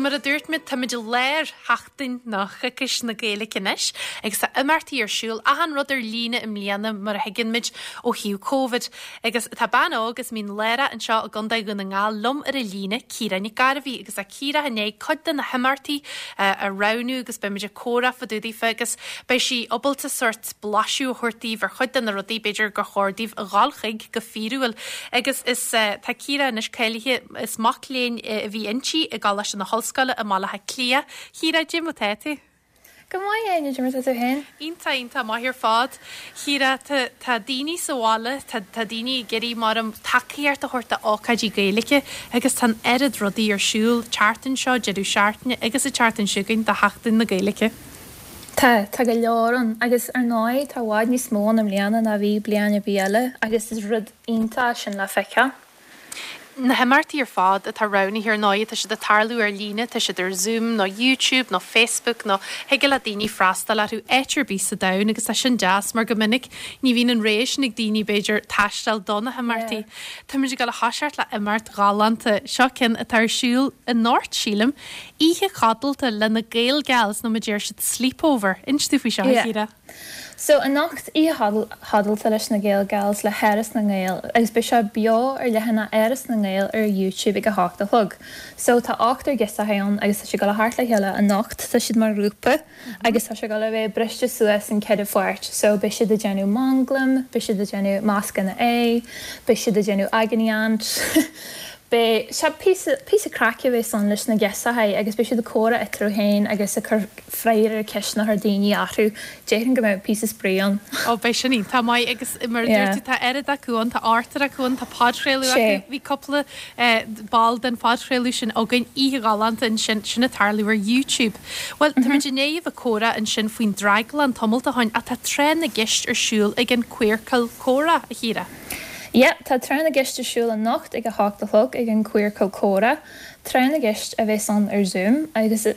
mar a dúirt mé, táimid i lár sheachtain nó choicís na Gaeilge anois agus tá imeachtaí ar siúl, achan rud ar líne i mbliana mar a thuigeann muid ó thaobh Covid. Agus tá bean óg as Mín Lárach anseo i gContae Dhún na nGall liom ar an líne, Ciara Nic Gairbhí, agus tá Ciara i ndiaidh cuid de na himeachtaí a roghnú agus beidh muid ag comhrá fá dtaobh daofa agus beidh sí ábalta sórt blaiseadh a thabhairt daoibh ar chuid de na rudaí b'fhéidir gur chóir daoibh a dhul chuig go fíorúil. Agus is tá Ciara anois cáilithe, is mac léinn a bhí inti i gColáiste na hOllscoile i mBaile Átha Cliath. Chiara, cad é mar tá tú? Go maith, Áine, cad é mar tá tú féin? Iontach, iontach maith ar fad. Chiara, tá, tá daoine sa bhaile, tá, tá daoine ag iarraidh mar am tacaíocht a thabhairt d'ócáidí Gaeilge agus tá an oiread rudaí ar siúl tseachtain seo, deireadh seachtaine agus an tseachtain seo chugainn do Sheachtain na Gaeilge. Tá, tá go leor ann agus ar ndóigh tá i bhfad níos mó ann i mbliana ná bhí bliain ar bith eile agus is rud iontach é sin le feiceáil. Na himeachtaí ar fad atá roghnaithe ar ndóigh, tá siad ag tarlú ar líne, tá siad ar Zoom nó YouTube nó Facebook nó thig le daoine freastal orthu áit ar bith sa domhan agus tá sin deas mar go minic ní bhíonn an rogha sin ag daoine b'fhéidir taisteal do na himeachtaí. Táimid ag dul a thoiseacht le imeacht ghalánta, seo ceann atá ar siúl anocht sílim, oíche codlata le na Gaelgals nó mar a deir siad sleepover. Inis domh faoi seo a Chiara. So, anocht, oíche chodlata leis na Gaelgals le hÁras na nGael agus beidh sé beo ar leathanach Áras na nGael ar YouTube ag a hocht a chlog. So, tá ochtar girseachaí ann agus tá siad ag dul a theacht le chéile anocht, tá siad mar ghrúpa agus tá sé ag dul a bheith briste suas in ceithre pháirt. So, beidh siad ag déanamh manglam, beidh siad ag déanamh mascanna aghaidh, beidh siad ag déanamh agony aunt. Beidh sé píosa, píosa craic a bheas ann leis na girseachaí agus beidh siad ag comhrá eatarthu féin agus ag cur freagra ar ceisteanna a chuir daoine orthu. Déarfainn go mbeidh píosa spraoi ann. Ó beidh sin iontach maith agus mar a dúirt tú tá oiread acu ann, tá ochtar acu ann, tá podchraoladh acu, bhí cúpla ball den phodchraoladh sin againn oíche ghalánta ansin, sin ag tarlú ar YouTube. Bhuel, táimid i ndiaidh a bheith ag comhrá ansin faoin Draglann tamalt ó shin ach tá Tráth na gCeist ar siúl ag an Queercal Comhrá, a Chiara. Yep, tá Tráth na gCeist ar siúl anocht ag a hocht a chlog ag an Queercal Comhrá. Tráth na gCeist a bheas ann ar Zoom agus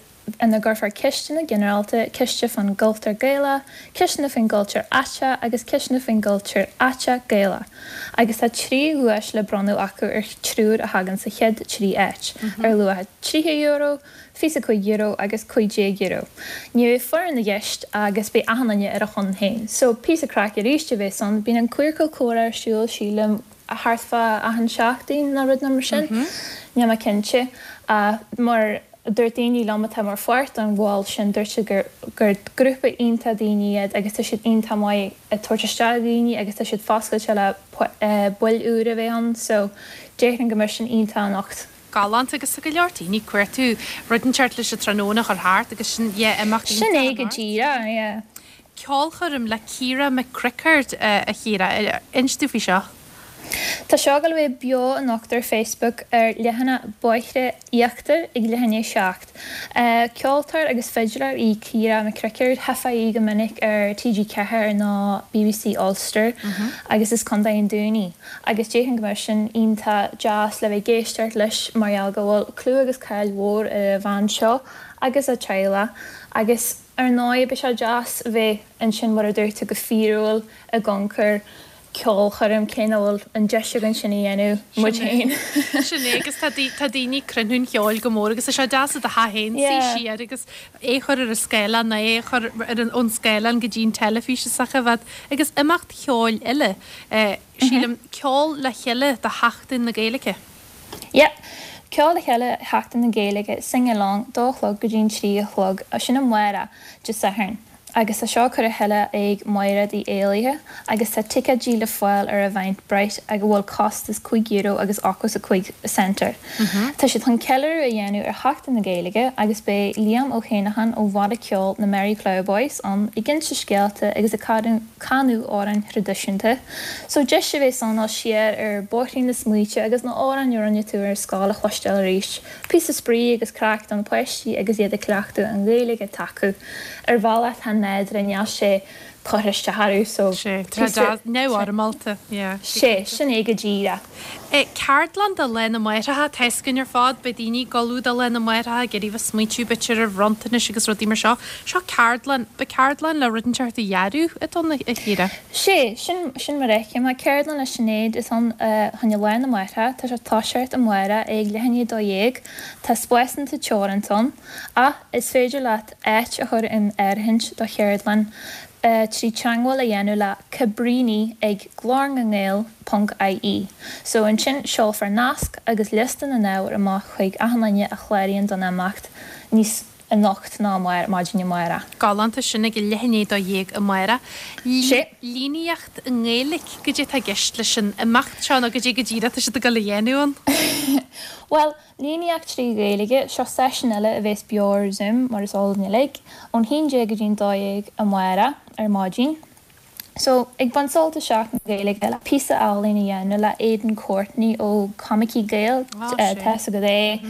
ina gcuirfear ceisteanna ginearálta, ceiste fán gcultúr Gaelach, ceisteanna faoin gcultúr aiteach agus ceisteanna faoin gcultúr aiteach Gaelach. Agus tá 3 dhuais le bronnadh acu ar triúr a thagann sa chéad 3 áit, ar luach €30, €25 agus €15. Ní bheidh foireann i gceist agus beidh achan duine ar a shon féin. So, píosa craic arís a bheas ann. Bíonn an Queercal Comhrá ar siúl, sílim, thart fá achan seachtain nó rud mar sin. Níl mé cinnte. Ach mar a dúirt daoine liom atá mar pháirt den bhall sin, dúirt siad gur gur grúpa iontach daoine iad agus tá siad iontach maith ag tabhairt isteach daoine agus tá siad foscailte le baill úra a bheith ann. So, déarfainn go mbeidh sin iontach anocht. Galánta agus tá go leor daoine ag cuartú rud inteacht leis an tráthnóna a chur thart agus sin yeah imeacht Sin é go díreach, yeah. Ceolchoirm le Ciara McCrickard a Chiara, inis domh faoi seo. Tá seo ag dul a bheith beo anocht ar Facebook ar leathanach Bóithre Íochtair ag leath i ndiaidh 7. Ceoltóir agus fidléir í Ciara McCrickard, Tchífeá í go minic ar TG4 nó BBC Ulster agus is Contae an Dúin í. Agus déarfainn go mbeadh sin iontach deas le bheith ag éisteacht leis mar gheall go bhfuil clú agus cáil mhór ar an bhean seo agus a teaghlach agus ar ndóigh beidh sé deas bheith ansin mar a dúirt tú go fíorúil ag amharc ar ceolchoirm cé nach bhfuil an deis againn sin a dhéanamh muid féin. Sin é agus tá tá daoine ag cruinniú an cheoil go mór agus tá sé deas i do theach féin suí siar agus é a chur ar an scáileán nó é a chur ar an ón scáileán go dtí an teilifís is a bheith agus imeacht cheoil eile Sílim, ceol le chéile do Sheachtain na Gaeilge. Yep. Ceol le chéile Sheachtain na Gaeilge, sing along, dó a chlog go dtí an 3 a chlog, sin amárach, Dé Sathairn. Agus tá seo curtha le chéile ag Mairéad Uí Éalaithe agus tá ticéidí le fáil ar Eventbrite ag a bhfuil costas €5 agus 85 cent air. Tá siad chun ceiliúradh a dhéanamh ar Sheachtain na Gaeilge agus beidh Liam Ó hÉineacháin ó bhanna ceoil na Merry Ploughboys ann ag inse scéalta agus ag canadh amhráin thraidisiúnta. So deis a bheas ann dul siar ar bóithrín na smaointe agus na amhráin a rinne tú ar scoil a chloisteáil arís. Píosa spraoi agus craic do na páistí agus iad ag cleachtadh an Ghaeilge atá acu. Ar bhealach atá nádúrtha níl sé. curtha isteach orthu so Sé, tá píosa neamhfhoirmeálta, yeah. Sé, sin é go díreach. Ceardlann do Lá na Máithreacha, tá fhios againn ar fad, beidh daoine ag ullmhú do Lá na Máithreacha, ag iarraidh bheith smaointiú b'fhéidir ar bhronntanais agus rudaí mar seo. Seo ceardlann, ba ceardlann le rud inteacht a dhearadh atá ann, a Chiara? Sé, sin, sin mar a fheicim é. Ceardlann le Sinéad atá ann choinne Lá na Máithreacha, tá sé ag toiseacht amárach ag leath i ndiaidh 12, tá spásanna teoranta ann, ach is féidir leat áit a chur in áirithint do cheardlann trí teagmháil a dhéanamh le Cabríní ag glórnangael ponc ie. So ansin seolfar nasc agus liosta na n-ábhar amach chuig achan duine a chláraíonn don imeacht níos anocht ná maidin amárach. Galánta, sin ag leath i ndiaidh 12 amárach. Sé. Líníocht i nGaeilic, goidé atá i gceist leis an imeacht seo nó goidé go díreach atá siad ag dul a dhéanamh ann? Bhuel, Líníocht 3 Ghaeilge, seo seisiún eile a bheas beo ar Zoom, mar is eol dúinn uilig, ón 11 go dtí'n 12 amárach ar maidin. So, ag baint sult as Seachtain na Gaeilge le píosa ealaín a dhéanamh le Aidan Courtney ó Comicí Gael, tá fhios agat é,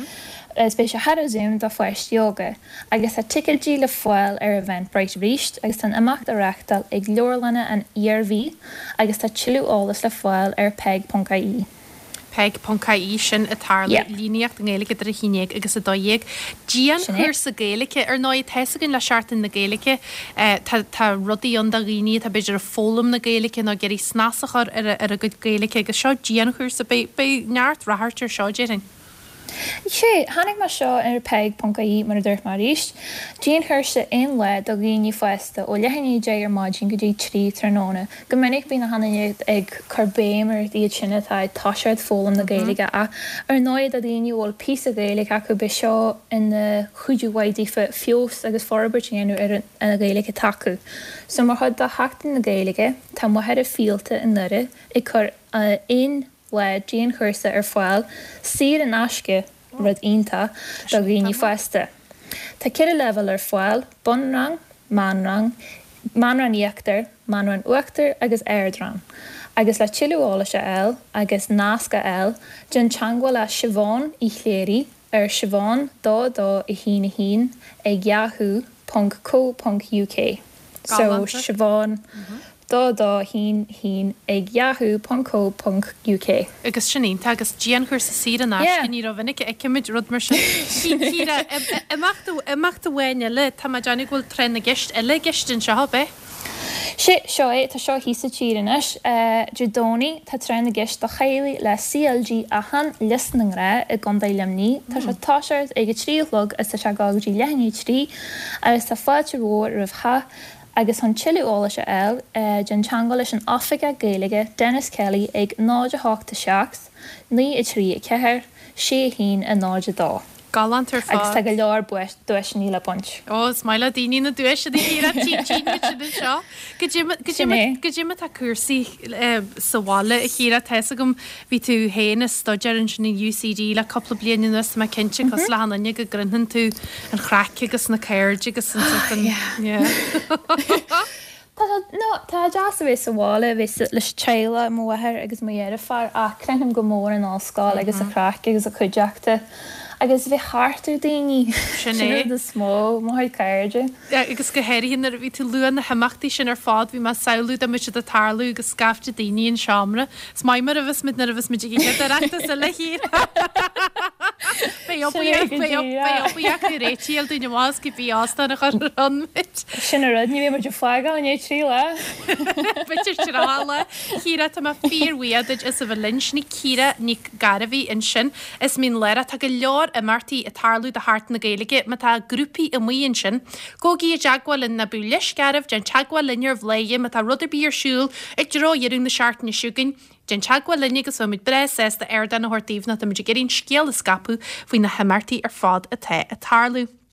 is beidh sé thar Zoom do pháistí óga. Agus tá ticéidí le fáil ar Eventbrite arís agus tá an imeacht á reachtáil ag Leabharlanna an Iarmhí agus tá tuilleadh eolais le fáil ar peig.ie. Peig.ie, sin ag tarlú, líníocht i nGaeilge idir 11 agus 12. Dianchúrsa Gaeilge, ar ndóigh, tá fhios againn le Seachtain na Gaeilge, tá tá rudaí ann do dhaoine atá b'fhéidir ag foghlaim na Gaeilge nó ag iarraidh snas a chur ar a gcuid Gaeilge agus seo dianchúrsa, beidh beidh neart ráchairt ar seo, déarfainn. Sea, chonaic mé seo ar Peig.ie, mar a dúirt mé arís. Dianchúrsa aon lá do dhaoine fásta ó leath i ndiaidh 10 ar maidin go dtí 3 tráthnóna. Go minic bíonn achan duine ag cur béim ar iad sin atá ag toiseacht foghlaim na Gaeilge ach ar ndóigh do dhaoine a bhfuil píosa Gaeilge acu beidh seo ina chuidiú mhaith daofa feabhas agus forbairt a dhéanamh ar an Ghaeilge atá acu. So mar chuid de Sheachtain na Gaeilge tá Machaire Fíolta i nDoire ag cur aon lá dianchúrsa ar fáil, saor in aisce, rud iontach, do dhaoine fásta. Tá 4 leibhéal ar fáil, bunrang, meánrang, meánrang íochtair, meánrang uachtair agus ardrang. Agus le tuilleadh eolais a fháil agus nasc a fháil, déan teagmháil le Siobhán Uí Chléirigh ar siobhan 2 2 1 1 ag yahoo ponc co ponc uk so siobhan 2 2 1 1 ag yahoo ponc co ponc uk. Agus sin iontach agus dianchúrsa saor in aisce, ní rómhinic a fheicimid rud mar sin. Ciara, imeacht, imeacht amháin eile, tá mé ag déanamh go bhfuil tráth na gceist eile i gceist anseo, ab ea? Sé, seo é, tá seo thíos sa tír anois. Dé Domhnaigh, tá Tráth na gCeist do Theaghlaigh le CLG Átháin, Lios na nGrá i gContae Luimnigh. Tá sé ag toiseacht ag a trí a chlog agus tá sé ag dul go dtí leath i ndiaidh a trí agus tá fáilte mhór roimh chách agus chun tuilleadh eolais a fháil, déan teagmháil leis an Oifigeach Gaeilge, Denis Kelly ag 0 8 7 9 3 4 6 1 0 2. Galánta ar fad. Agus tá go leor duaiseanna le baint. Ó, is maith le daoine na duaiseanna, a Chiara, tchíonn muid sin anseo. Goidé mar atá cúrsaí sa bhaile, a Chiara, tá fhios agam, bhí tú féin ag staidéar ansin in UCD le cúpla bliain anuas, tá mé cinnte, cosúil le achan duine, go gcroitheann tú an chraic agus na cairde agus an sort an, yeah. Tá sé, no, tá sé deas a bheith sa bhaile, a bheith leis an teaghlach, mo mháthair agus mo dheirfiúr, ach croithim go mór an ollscoil agus an chraic agus an chuideachta agus a bheith thart ar daoine, Sin é. an rud is mó, mo chuid cairde. Agus go háirithe nuair a bhí tú ag lua na himeachtaí sin ar fad, bhí mé ag samhlú dá mbeadh siad ag tarlú agus scaifte daoine in seomra. Is maith mar a bheas muid nuair a bheas muid ag an gcéad Oireachtas eile thiar. Beidh obair beidh acu réitithe dúinn amach as cibé óstán a chur ann muid. Sin an rud, ní bheidh muid ag fágáil i ndiaidh 3 lá. B'fhéidir 30 lá. Ciara, tá mé fíorbhuíoch duit as a bheith linn. Sin í Ciara Nic Gairbhí ansin as Mín Lárach. Tá go leor imeachtaí ag tarlú do Sheachtain na Gaeilge. Má tá grúpaí amuigh ansin, gabhaigí i dteagmháil linn, ná bíodh leisc oraibh, déan teagmháil linn ar Bhladhaire má tá rud ar bith ar siúl i dtreo dheireadh na seachtaine seo chugainn. Déan teagmháil linn agus beidh muid breá sásta ardán a thabhairt daoibh nó tá muid ag iarraidh an scéal a scaipeadh faoi na himeachtaí ar fad atá ag tarlú.